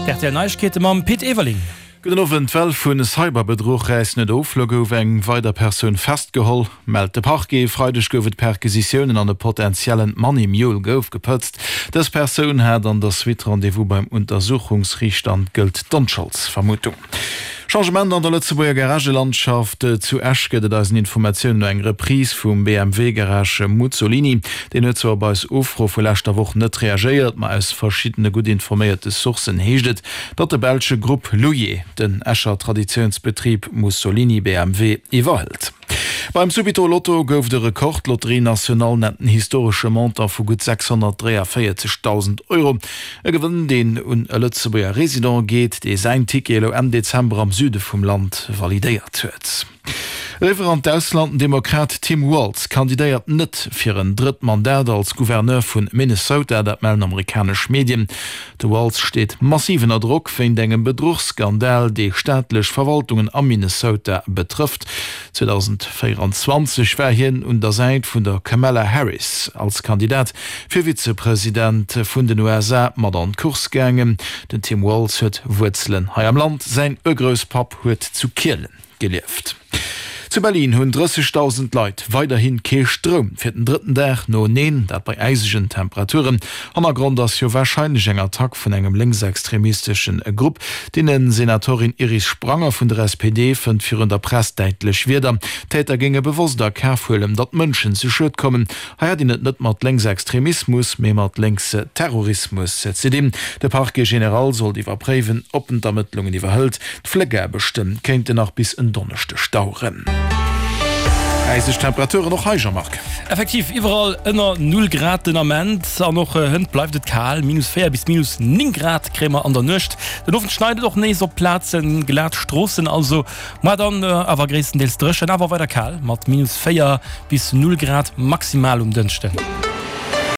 D'RTL Neiegkeete mam Pit Everling. Gudden Owend, D'Well vu Cyberbedruch räisst net of. Lo gouf eng weider Persoun festgeholl, mellt de Parquet. E Freideg gouf et Perquisitiounen an e potentiellen Money Mule gouf gepëtzt. Dës Persoun hat an der Suite Rendez-vous beim Untersuchungsriichter an gëllt d'Onscholdsvermutung. Changement an der Lëtzebuerger Garagelandschaft, Zu Esch gëtt et eisen Informatiounen no eng Reprise vum BMW Garage Muzzolini. Deen huet zwar op eis Ufro vu leschter Woch net reagéiert, ma aus verschiddene gutt informéierte Sourcen heescht et, datt de belsche Grupp Louier den Escher Traditiounsbetrib Mussolini BMW iwwerhëlt. Beim Subito Lotto gouf et e Rekord, D'Loterie Nationale nennt en historesche Montant vu gutt 643.000 Euro. E Gewënn, deen un e Lëtzebuerger Resident geet, dee säin Ticket elo Enn Dezember am Süde vum Land validéiert huet. Eriwwer an d'Ausland, Den Demokrat Tim Walz kandidéiert net fir en drëtt Mandat als Gouverneur vu Minnesota, dat mellen amerikanesch Medien. De Walz steet massiv ënner Drock wéint engem Bedruchsskandal, dee staatlech Verwaltungen am Minnesota betrëfft. 2024 war hien un der Säit vun der Kamala Harris als Kandidat fir Vizepresident vun den USA mat an d'Course gaangen. Den Tim Walz huet Wuerzelen hei am Land, säin Urgrousspapp huet zu Kielen gelieft. Zu Berlin hunn 30.000 Leit weiderhi kee Stroum, fir den drëtten Dag noeneen, dat bei äisegen Temperaturen. Hannergrond ass jo warscheinlech eng Attack vun engem lénksextremisteschen Grupp. D'Innensenatorin Iris Spranger vun der SPD fënnt virun der Press däitlech Wierder, D'Täter géinge bewosst a Kaf huelen, datt Mënschen zu Schued kommen. Hei hätt een et net mat Lénksextremismus, mee mat Lénksterrorismus ze dinn. De Parquet général sollt iwwerpréiwen, ob en d'Ermëttlungen iwwerhëlt. D'Fléckaarbechte kéinten nach bis en Donneschdeg daueren. Äiseg Temperaturen och hei, Jean-Marc? Effektiv, iwwerall ënner Null Grad den Ament an och hënt bleift et kal, minus 4 bis minus 9 Grad kréie mer an der Nuecht. Den Owend schneit et och nees op Plazen, glat Stroossen also. Moar dann awer gréisstendeels dréchen, awer weider kal mat minus 4 bis 0 Grad maximal um Dënschden.